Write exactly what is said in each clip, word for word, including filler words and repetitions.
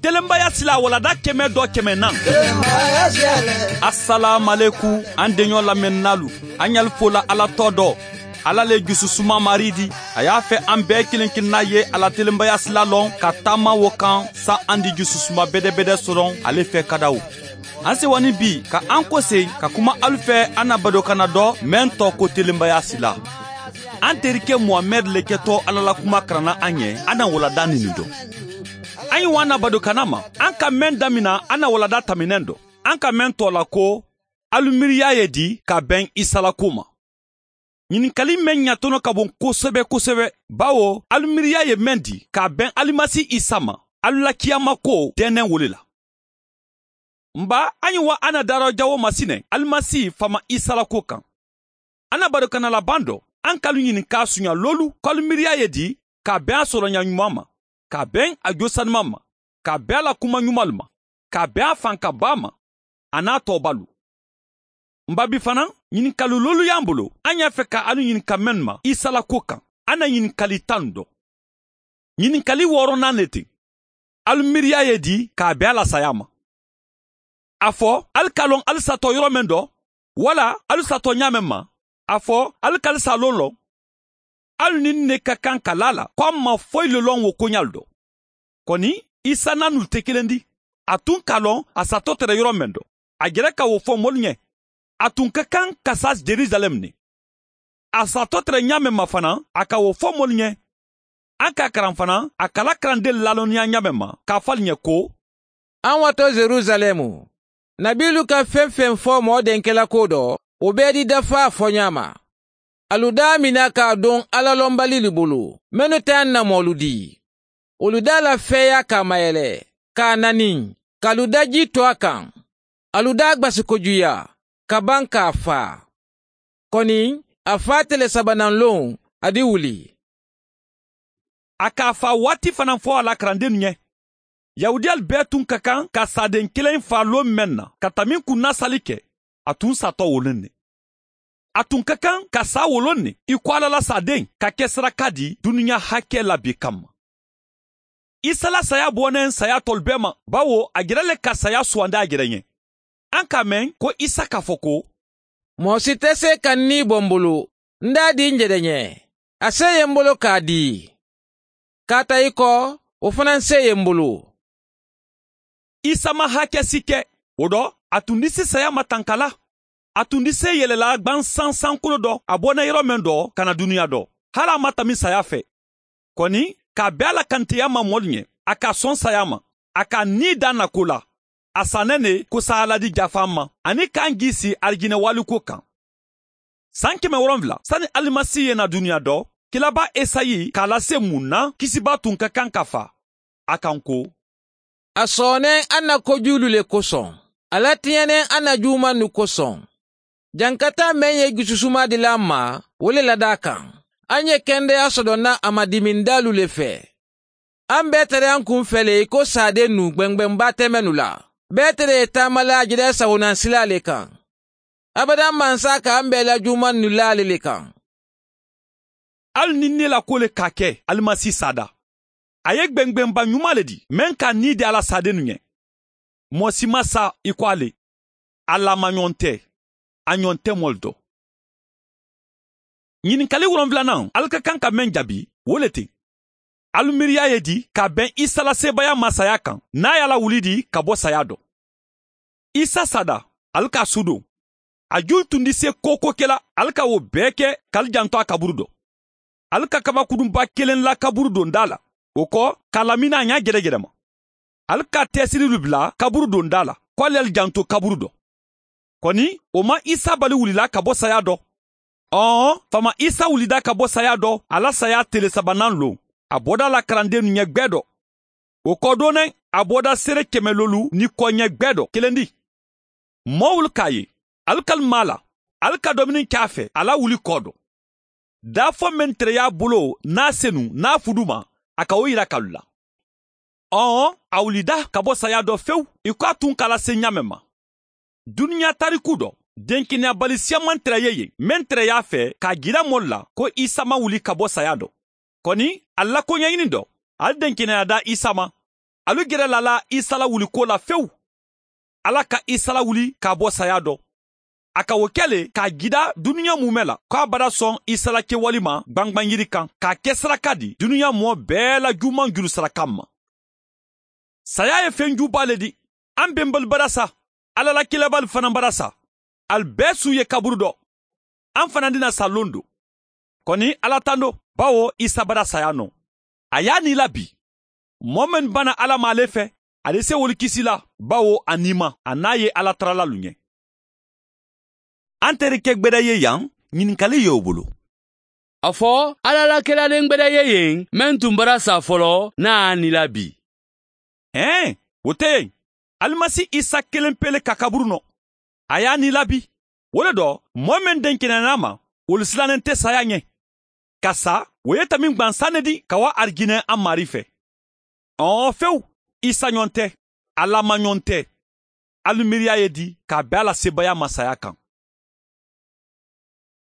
Telenbaya sila walada keme dɔ keme nan. Asalaamualekum, an deɲɔ lamɛnnaalu. An ɲali fola ala tɔ dɔ. Ala le jususuma maridi. A y'a fɛ an bɛɛ kelen kelenna ye a la telenbaya sila lɔn ka taama wo kan, sa an di jususuma bedebede soron ale fɛ kadaw. An sewa ni bi ka an kose ka kuma alu fɛ an na badokanna dɔ mɛn tɔ ko telenbaya sila. An terike muhamɛd le kɛtɔ ala la kuma karanna an ye, an na walada nini dɔn. An ye wa an na badokanna ma, an ka mɛn damina an na walada taminɛn dɔn. An ka mɛn tɔ la ko alu miiriya ye di ka bɛn isa la ko ma. Ɲininkali mɛn ɲatɔnɔ ka bon kosɛbɛ kosɛbɛ, bawo alu miiriya ye mɛn di ka bɛn alimasi isa ma, alu la kiyama ko tɛnɛn wole la. N ba, an ye wa an na darɔ jawo masinɛ alimasi faama isa la ko kan. An na badokanna laban dɔ, an ka alu ɲininka suɲa lolu ko alu miiriya ye di ka bɛn a sɔrɔɲa ɲuman ma, ka bɛn a jo sanuman ma, ka bɛn a la kuma ɲumanlu ma, ka bɛn a fankabaa ma, a n'a tɔɔbalu. N ba, bi fanaŋ, ɲininkali lolu y'an bolo, an y'a fɛ ka alu ɲininka mennu ma isa la ko kan, an na ɲininkali tan dɔn. Ɲininkali wɔɔrɔnan le ti, alu miiriya ye di k'a bɛn a la saya ma? A fɔ alu ka lɔn alu satɔ yɔrɔ men dɔ, wala alu satɔ ɲaamen ma? A fɔ alu ka alu sa lon lɔn? Alu ni n ne ka kan ka la a la ko a ma foyi le lɔn wo koɲalu dɔ. Koni isa nanulu te kelen di. A tun ka lɔn a satɔ tere yɔrɔ men dɔ, a jere ka wo fɔ molu ɲɛ. A tun ka kan ka sa jerusalɛm ne. A satɔ tere ɲaamen ma fanaŋ, a ka wo fɔ molu ɲɛ. An ka a karan fanaŋ a ka la karandenlu lalɔnniya ɲaamen ma, k'a fo ali ɲɛ ko, an wato jerusalɛm, nabiilu ka feŋ-feŋ fo moo denkelako dɔ, wo bee di dafaa foɲaa ma. Alu daamina ka a doŋ alla lonbaliilu bulu, mennu te a na moolu dii. Wolu daa la feeyaa ka a mayele, ka a naniŋ, ka alu da jii to a kaŋ. Alu daa gbasikojuyaa, ka baŋ ka a faa. Koni a faa tele sabananloŋ, a di wuli. A ka a faa waati fanaŋ fo a la karandennu ɲe. Yahudiyalu bee tun ka kaŋ ka saadeŋ keleŋ faa loo meŋ na ka taminkunnasali ke, a tun satɔ wo loŋ ne. A tun ka kaŋ ka saa wo loŋ ne i ko alla la saadeŋ ka ke saraka di duniya hake la bi kamma. Isa la saya boneŋ saya tolu bee ma, bawo a jere le ka saya suwandi a jere ɲe. An ka a meŋ ko isa ka fo ko, moo si te see ka n nii bo n bulu, n daa dii n jere ɲe. A see ye n bolo ka a dii, kaata i ko wo fanaŋ see ye n bulu. Isa ma hake si ke. Wo do, a tun disi saya ma tanka la. A tun disi yelela gbansansankolo do a bonna yɔrɔ men do ka na duniya do, hali a ma tami saya fe. Koni, ka a be a la kanteya ma molu ɲe, a ka son saya ma, a ka a nii da nako la. A sannen ne ko sahaladi jafan ma, ani ka n giisi arijinɛ waliko kan. San keme wolonwula sani alimasi ye na duniya do, kilaba esayi k'a lase mun na kisibaa tun ka kan ka fa a kan ko, a soonen an na kojuulu le koson, a latiɲanen an na juumannu koson. Jankataa meŋ ye jususuma dila an ma, wo le lada a kaŋ. An ye kendeya soto na a ma dimindaalu le fe. An be tara an kun fele i ko saadennu gbengbenbaa te mennu la. Be tara ye taamala a jere sawunansila le kaŋ. Abadaŋ mansa ka an be la juumannu laale le kaŋ. Ali ni ne la ko le ka ke alimasi saada, a ye gbengbenba ɲuma le di meŋ ka nii di a la saadennu ɲe. Moo si ma sa i ko a le. A laamaɲoŋ te, a ɲoŋ te molu do. Ɲininkali wolonwulanaŋ ali ka kaŋ ka meŋ jaabi, wo le ti, alu miiriya ye di ka a beŋ isa la seebaaya maasaya kaŋ n'a ye a la wuli di ka bo saya do. Isa saada, ali ka a suudoŋ. A juulu tundi se kooko ke la, ali ka wo bee ke ka ali janto a kaburu do. Ali ka kabakudunba keleŋ la kaburu dondaa la, wo ko ka lamini a ɲaa jerejerema. Ali ka teesirilu bula kaburu dondaa la ko ali ye ali janto kaburu do. Koni, wo maŋ isa bali wulila ka bo saya do. Ɔɔ, faama isa wulida ka bo saya do a la saya tele sabanan loŋ, a boda la karandennu ɲe gbeedo. Wo ko dooneŋ, a boda seere keme loolu ni ko ɲe gbeedo kelendi. Moowulu ka a ye, ali ka ali maa la, ali ka domini ke a fe a la wuli ko do. Daafo meŋ tere ye a bolo n'a senu n'a fuduma, a ka wo yira ka lula. Ɔɔ, a wulida ka bo saya do fewu i ko a tun ka a lase ɲaameŋ ma. Duniɲa tariku do, denkeneyabali siyaman tere ye yen meŋ tere ye a fe ka a jira moolu la ko isa ma wuli ka bo saya do. Koni, ali la koɲaɲini do, ali denkeneya da isa ma. ali gere la la isa la wulikoo la fewu. Ala ka isa la wuli ka a bo saya do. A ka wo ke le ka a gida duniya muume la ko a bada soŋ isa la kewali ma gbangban yiri kaŋ ka a ke saraka di duniya moo bee la juumaŋ juru saraka ma. Saya ye feŋ jubaa le di. An bembali bada sa. Ala la kilabali fanaŋ bada sa. Ali bee su ye kaburu do. An fanaŋ dina sa londo. Koni ala tando, bawo isa bada saya no. A ye a nii la bi. Moo mennu bana ala ma ale fe, ale se wolu kisi la, bawo a niima a naa ye ala taralalu ɲe. An tere ke gbeda ye yaŋ. Ɲininkali ye wo bulu. A fo ala la kelalen gbeda ye yeŋ meŋ tun bara saa folo naa a nila bi. Ee, wo te yeŋ. Alimasi isa kelen pele ka kaburu no. A ye a nila bi. Wo le do, moo meŋ denkenana a ma, wolu silanen te saya ɲe. Ka sa, wo ye tamiŋ gbansaŋ ne di ka wa arijinee a maari fe. Ɔɔ fewu. Isa ɲoŋ te. Alla ma ɲoŋ te. Alu miiriya ye di ka a be a la seebayaa ma saya kaŋ.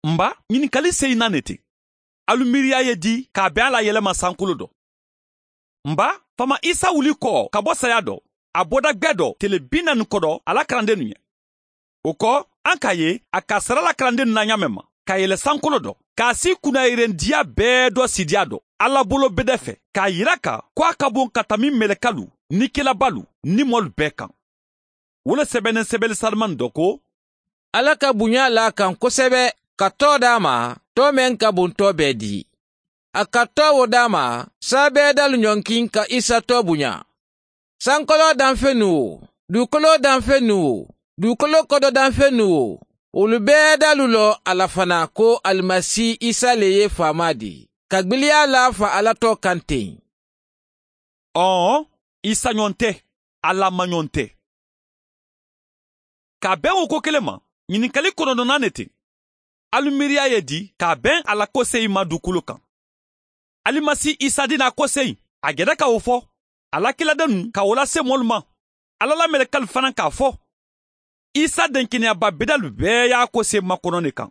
Mba, ɲininkali seyi na ne ti. Alu miiriya ye di ka a be a la yelema sankulu do. Mba, faama isa wuli koo ka bo saya do, a boda gbe do tele bi naani kodo a la karandennu ɲe. Wo ko, an ka a ye a ka a sara la karandennu na ɲaameŋ ma ka a yele sankolo do ka a si kunnayirentiya bee do siidiya do alla bolo bede fe ka a yira ka ko a ka boŋ ka tami melekalu ni kilabalu ni moolu bee kaŋ. Wo le sebeneŋ sebeli sarimaŋ do ko, alla ka buɲa laa a kaŋ kosebe ka too daa ma, too meŋ ka buŋ too bee di. A ka too wo daa ma, saabeedaalu ɲonkiŋ ka isa too buɲa. Sankoloo danfennu wo, duukoloo danfennu wo, duukoloo kodo danfennu wo, wolu bee daalu loŋ a la fanaa ko alimasi isa le ye faamaa di ka gbiliyaa laa fa alla too kaŋ teŋ. Ɔɔn, isa ɲoŋ te. Alla ma ɲoŋ te. Ka a beŋ wo ko kele ma, ɲininkali kononto na ne ti. Alu miiriya ye di ka a beŋ a la koseyi ma dukulo kaŋ. Alimasi isa dinaa koseyi, a geda ka wo fo. A la kiladennu ka wo lase moolu ma. Alla la melekalu fanaŋ ka a fo. Isa denkeneya babedalu bee ye a koseyi makono ne kaŋ.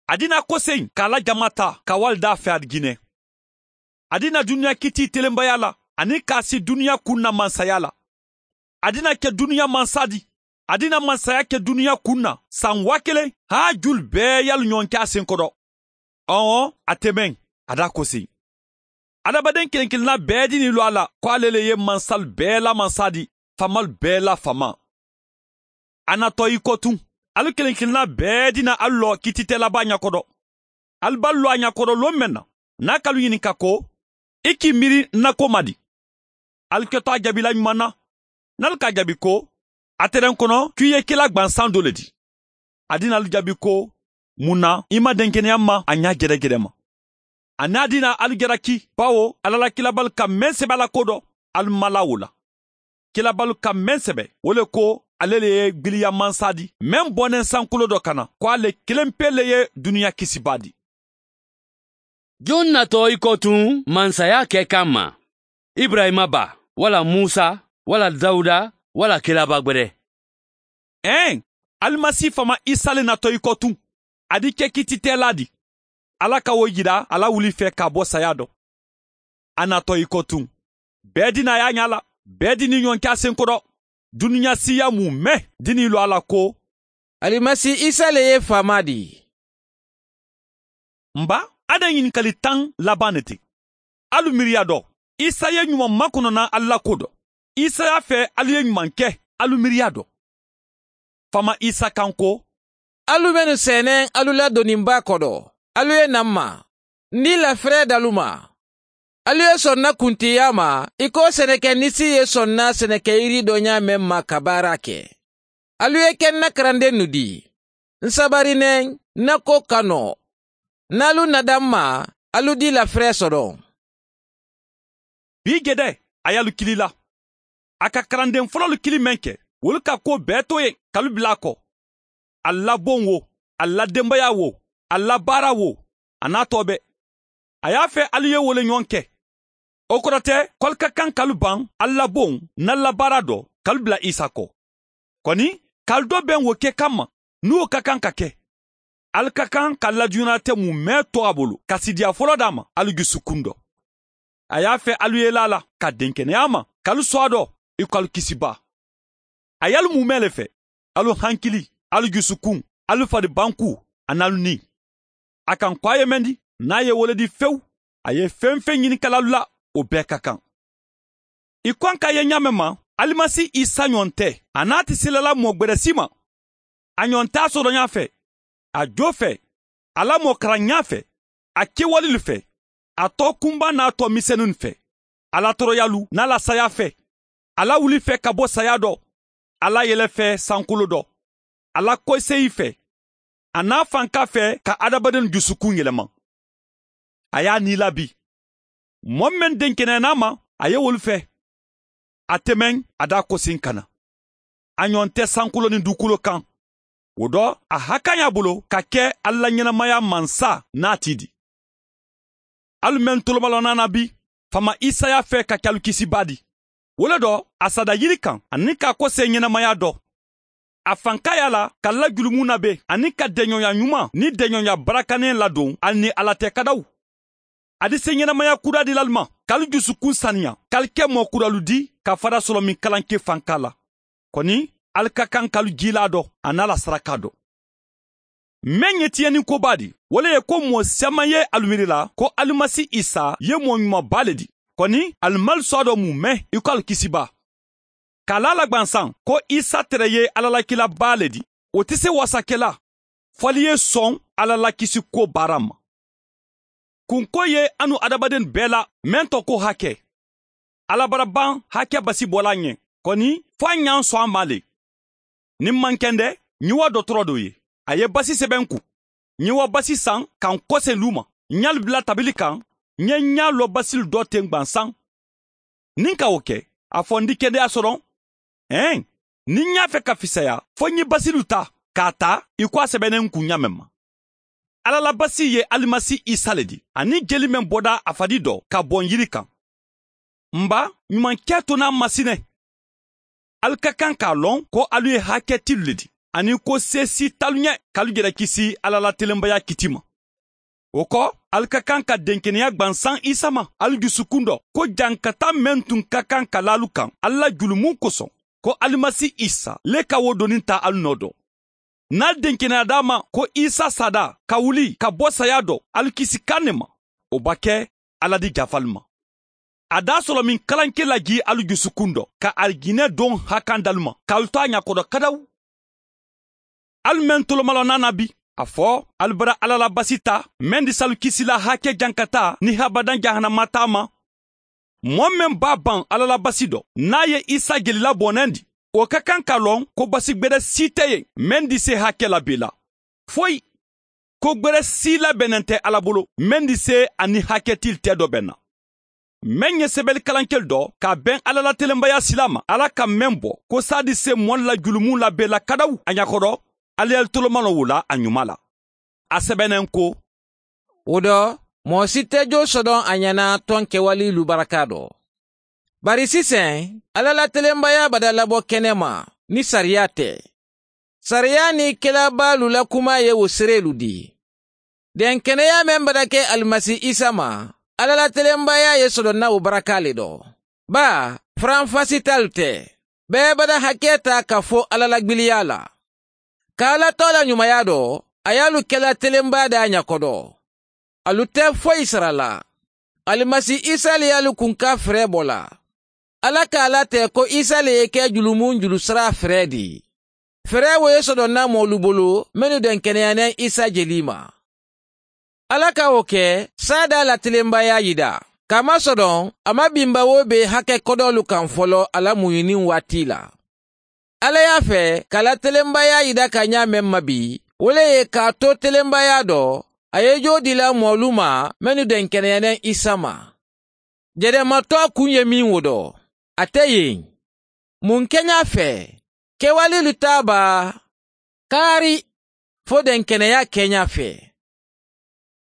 A dinaa koseyi ka a la jamaa taa ka wali daa fe arijinee. A dinaa duniya kitii telembayaa la aniŋ ka a si duniya kuŋ na mansayaa la. A dinaa ke duniya mansaa di. A dinaa mansaya ke duniya kuŋ na saŋ waa keleŋ haa julu bee ye alu ɲoŋ ke a senkodo. Ɔɔn, a temeŋ. A daa koseyi. Adamadeŋ keleŋ keleŋ na bee dinii loŋ a la ko ale le ye mansalu bee la mansaa di, faamalu bee la faamaa. A na too i ko tuŋ. Alu keleŋ keleŋ na bee dina alu loo kiititeelabaa ɲakodo. Alu be alu loo a ɲakodo loo meŋ na, niŋ a ka alu ɲininka ko, i ka i miiri n na ko ma di? Alu keto a jaabila ɲumaŋ na. Niŋ alu ka a jaabi ko, a tereŋ kono ko i ye kila gbansaŋ do le di. A dina alu jaabi ko, muŋ na i ma denkeneya ma a ɲaa jedejede ma? A niŋ a dina alu jalaki bawo alla la kilabalu ka meŋ sebe a la ko do, alu mala wo la. Kilabalu ka meŋ sebe wo le ko, ale le ye gbiliya mansaa di meŋ boneŋ sankulo do ka na ko ale keleŋ pee le ye duniya kisibaa di. Joŋ na too i ko tuŋ mansayaa ke kaŋ ma? Iburayima ba, walla musa, walla dawuda, walla kilaba gbede? Ee, alimasi faama isa le na too i ko tuŋ. A di ke kiititeelaa di. Alla ka wo yira a la wuli fee ka a bo saya do. A na too i ko tuŋ. Bee dinaa ye a ɲaa la. Bee dinii ɲoŋ ke a senkodo. Duniya siiyaa muume dinii loŋ a la ko, alimasi isa le ye faamaa di. Mba, a de ɲininkali taŋ labaŋ ne ti. Alu miiriya do, isa ye ɲumaŋ makono na alu la ko do. Isa ye a fee alu ye ɲumaŋ ke. Alu miiriya do. Faama isa kaŋ ko, alu mennu seeneŋ alu la doninbaa kodo, alu ye na m ma. N dii laferee dalu ma. Alu ye sonna kuntiyaa ma i ko seneke nisi ye sonna seneke yiri do ɲaameŋ ma ka baara ke. Alu ye ke n na karandennu di. N sabari neŋ n na ko ka noo. Niŋ alu nada m ma, alu dii laferee soto. Bii gede, a ye alu kili la. A ka karandeŋ fololu kili meŋ ke, wolu ka kuwo bee to ye ka alu bula a ko. Ali la boŋ wo, ali la dembeyaa wo, ali la baara wo, a naa too be. A ye a fee ali ye wo le ɲoŋ ke. Wo kono te ko ali ka kaŋ ka alu baŋ ali la boŋ niŋ ali la baara do ka alu bula isa ko. Koni ka ali do beŋ wo ke kamma, niŋ wo ka kaŋ ka ke, ali ka kaŋ ka ali la duɲanaa te mumee to a bulu ka siidiyaa foloo daa ma ali jusukundo. a ye a fe alu ye laa la ka denkeneyaa ma ka alu soo a do i ko alu kisi baa. A ye alu muumee le fe, alu hankili, alu jusukuŋ, alu fadi bankuu, aniŋ alu nii. A ka n ko a ye mendi niŋ a ye wo le dii fewu. A ye feŋ-feŋ ñini ka la alu la, wo bee ka kaŋ. I ko a ka a ye ñaameŋ ma, alimasi isa ñoŋ te. A naati sila la moo gberesi ma. A ñoŋ te a sodoñaa fe, a joo fe, a la moo karaŋyaa fe, a kewalilu fe, a too kumbaa niŋ a too misenuŋ fe, a la toroyalu niŋ a la sayaa fe, a la wuli fe ka bo sayaa do, a la yele fe sankuloo do, a la koyiseyi fe, a niŋ a fankaa fe ka hadamadenw jusukuŋ yelema. A ye a nii labi. Moo meŋ denkeneyaana a ma, a ye wolu fe. A te meŋ a daa kosi n kana. A ñoŋ te sankuloo niŋ duukuuloo kaŋ. Wo do, a hakaa ñaa bulu ka ke alla ñenemayaa mansa. Naa ti di. Alu meŋ tolomaloo naana bi, faama isa ye a fee ka ke alu kisi baadi. Wo le do, a saada yiri kaŋ aniŋ ka a kosee ñenemayaa do. A fankaa ye a la ka alla julumu nabee aniŋ ka deñoyaa ñumaa niŋ deñoyaa barakaneŋ ladoŋ ali niŋ alla te kadawu. A di se ñenemayaa kudaa dila alu ma ka alu jusukuŋ saniyaa ka alu ke moo kudaalu di ka fada solomiŋ kalanke fankaa la. Koni, alu ka kaŋ ka alu jiilaa do aniŋ a la sarakaa do. Meŋ ye tiyeninko baa di, wo le ye ko moo seeman ye alu miiri la ko alimasi isa ye moo ñuman baa le di. Koni, alu malu soo a do muumee i ko alu kisi baa. Ka a laa a la gbansaŋ ko isa tere ye alla la kila baa le di, wo te se waasakela fo ali ye soŋ alla la kisi kuwo baara ma. Kunko ye a nu hadamadenw bee la meŋ to ko hake. Alla bara baŋ hake basi boolaa ñe, koni fo a ñaŋ soŋ a ma le. Niŋ maŋ kende, ñiŋ wa dotoroo doo ye. A ye basi sebe n ku. Ñiŋ wa basi saŋ ka n kose luuma. Ñaalu bila tabili kaŋ. Ñe ñaalu lo basilu doo teŋ gbansaŋ. Niŋ ka wo ke, a fo n di kendeyaa soloŋ. Eeŋ, niŋ ñaa fe ka fisaya fo ñiŋ basilu taa ka a taa i ko a sebeneŋ n ku ñaameŋ ma. Alla la basi ye alimasi isa le di aniŋ jeli meŋ boda a fadi do ka boŋ yiri kaŋ. N ba, ñumankee to naa masine. Ali ka kaŋ ka a loŋ ko alu ye haketilu le di aniŋ ko seesi talu ñe ka alu jere kisi alla la telembayaa kiti ma. Wo ko, ali ka kaŋ ka denkeneyaa gbansaŋ isa ma ali jusukundo ko jankataa meŋ tun ka kaŋ ka la alu kaŋ alla julumu kosoŋ, ko alimasi isa le ka wo doniŋ taa alu noo do. Niŋ ali denkeneyaata a ma ko isa saada ka wuli ka bo sayaa do ali kisi kaŋ ne ma, wo ba ke alla di jafa alu ma. A daa solomiŋ kalanke la jii alu jusukundo ka alijinee doŋ hakandi alu ma ka alu to a ñakoto kadawu. Ali meŋ tolomaloo naana bi, a fo ali bara alla la basi taa meŋ di si alu kisi la hake jankataa niŋ habadaŋ jahanama taa ma. Moo meŋ be a baŋ alla la basi do niŋ a ye isa jelila bonendi, wo ka kaŋ ka loŋ ko basi gbere sii te ye meŋ di se hake la bee la. Foyi. Ko gbere sii la benente alla bulu meŋ di se a niŋ haketili te do benna. Meŋ ye sebeli kalankelu do ka a beŋ alla la telembayaa silaa ma alla ka meŋ bo ko saadi se moolu la julumu la bee la kadawu a ñakoto. Alla ye ali tolomaloo wo la a ñuma la. A sebeneŋ ko, wo do, moo si te joo sodoŋ a ñana toŋ kewaliilu barakaa do. Bari siseŋ, alla la telembayaa bada labo kenema niŋ sariyaa te. Sariyaa niŋ kelabaalu la kumaa ye wo sereelu dii. Denkeneyaa meŋ bada ke alimasi isa ma, alla la telembayaa ye sodoŋ na wo barakaa le do. Baa, faranfasitaalu te. Bee bada hakee taa ka fo alla la gbiliyaa la. Ka alla too la ñumayaa do, a ye alu ke la telembayaa de a ñakoto. Alu te foyi sara la. Alimasi isa le ye alu kunkaa feree bo la. Alla ka a late ko isa le ye ke julumu n julu saraa feree di. Feree wo ye sodoŋ na moolu bulu mennu denkeneyaneŋ isa jelii ma. Alla ka wo ke saadaa la telembayaa yidaa, kamasodoŋ a ma bimba wo bee hake kodoolu kaŋ folo a la muɲuniŋ waati la. Alla ye a fee ka a la telembayaa yida ka ñaa meŋ ma bii, wo le ye ka a to telembayaa do a ye joo dila moolu ma mennu denkeneyaneŋ isa ma. Jedematoo kuŋ ye miŋ wo do, a te yeŋ. Muŋ keñaa fee? Kewaliilu taa baa? Kaari, fo denkeneyaa keñaa fee.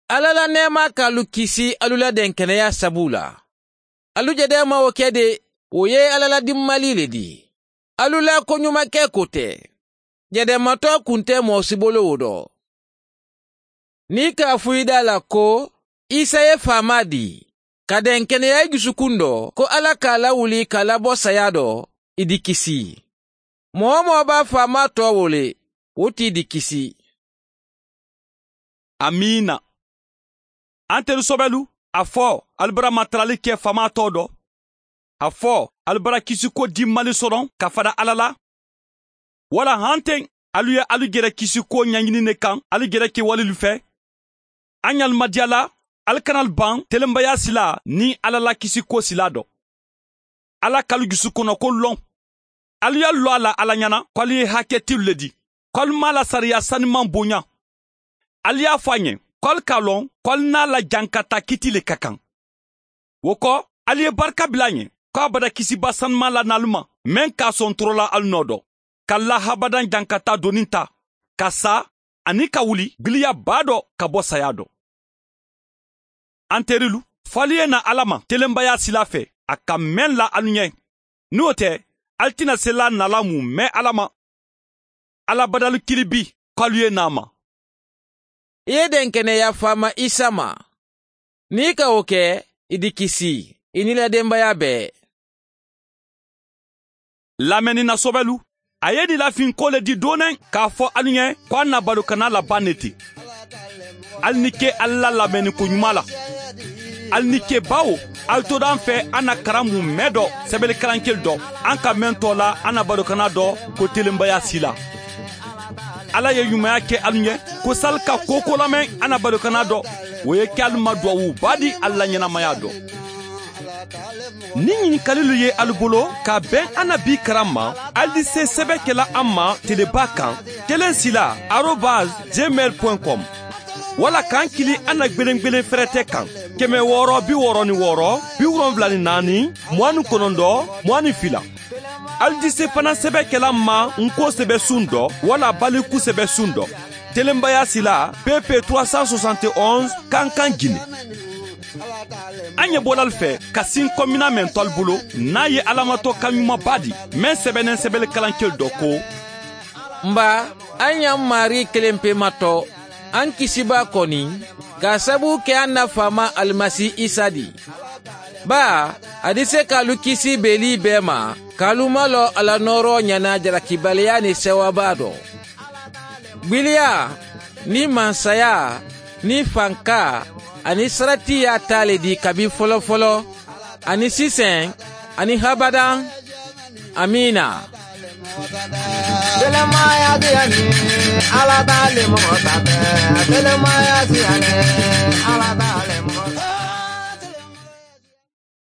Alla la neemaa ka alu kisi alu la denkeneyaa sabu la. Alu jedema wo ke de, wo ye alla la dimmalii le di. Alu la koɲumakee kote. Jedematoo kunte moo si bolo wo do. Niŋ i ka a fuyida a la ko isa ye faamaa dii, ka denkeneya i jusukun do ko ala ka a lawuli ka a labo saya do, i di kisi. Moo-wo-moo be a faamaa too wo le, wo ti i di kisi. Amiina. Antelu sobelu, a fo ali bara matarali ke faamaa too do? A fo ali bara kisiko dimmali soron ka fada ala la? Wala hanteŋ, alu ye alu jere kisiko ɲaɲini ne kaŋ alu jere kewalilu fe? A ɲa ali madiya la, ali kana ali baŋ telenbaya silaa niŋ ala la kisiko silaa do. Ala ka alu jusukonoko loŋ. Alu ye alu loo a la ala ɲaana ko alu ye haketilu le di, ko alu maŋ a la sariya sanimaŋ boɲa. Alu ye a fo a ɲen ko alu ka a loŋ ko alu naa la jankataa kiiti le ka kaŋ. Wo ko, alu ye barika bila a ɲen ko a bada kisiba sanimaŋ la na alu ma, meŋ ka a sontorola alu noo do, ka alu la habadaŋ jankataa doniŋ taa, ka saa, aniŋ ka wuli biliya baa do ka bo saya do. Anterilu, fo alu ye naa ala ma telenbaya silaa fe, a ka meŋ la alu ɲe. Niŋ wo te, alu ti na selaa nalaa mu mee ala ma. Ala badalu kili bi ko alu ye naa a ma. I ye denkeneya faama isa ma. Niŋ i ka wo ke, i di kisi, i niŋ i la denbaya bee. Lameni na sobelu, a ye i nilafinkoo le di dooneŋ k'a fo alu ɲe ko a na balokana la baŋ ne ti. Ali ni ke ali la lameniko ɲumaa la. Ali ni ke baawo, ali to daŋ fe a na karamu mee do, sebelikarankelu do, a ka meŋ too la a na balokana do, ko telenbaya sila. Ala ye ɲumaya ke alu ɲe, ko sali ka kooko lameŋ a na balokana do, wo ye ke alu ma duwawu baa di ali la ɲenamaya do. Niŋ ɲinikalilu ye alu bolo ka beŋ a na bii karamma, ali di se sebe kela a ma telebaa kaŋ, kelen sila arobas jemel point com. Walla ka n kili a na gbelengbelen ferete kaŋ, keme wooro bi wooro ni wooro bi wolonwula ni naani, muwaani konondo, muwaani fila. Ali di se fanaŋ sebe kela n ma n ko sebe suŋ do walla baliku sebe suŋ do, telenbaya sila, pp trois cent soixante et onze, kankan gine. A ɲebola ali fe ka sinko mina men to ali bulu, n'a ye alamato kaɲuma baa di, men sebenen sebele kalankelu do ko: N baa, a ɲa n maarii kelenpe ma to, a n kisibaa koni, ka a sabu ke a n na faamaa alimasi isa di. Baa, a di se ka alu kisi beelii bee ma, ka alu maloo a la nooroo ɲana jalakibaliyaa ni sewabaa do. Gbiliyaa, niŋ mansayaa, niŋ fankaa, aniŋ saratiyaa taa le di kabi folofoloo, aniŋ siseŋ, aniŋ habadaŋ. Amiina. Telemaya diya ni ala ta le mɔgɔ ta tɛ. Telemaya diya ni ala ta.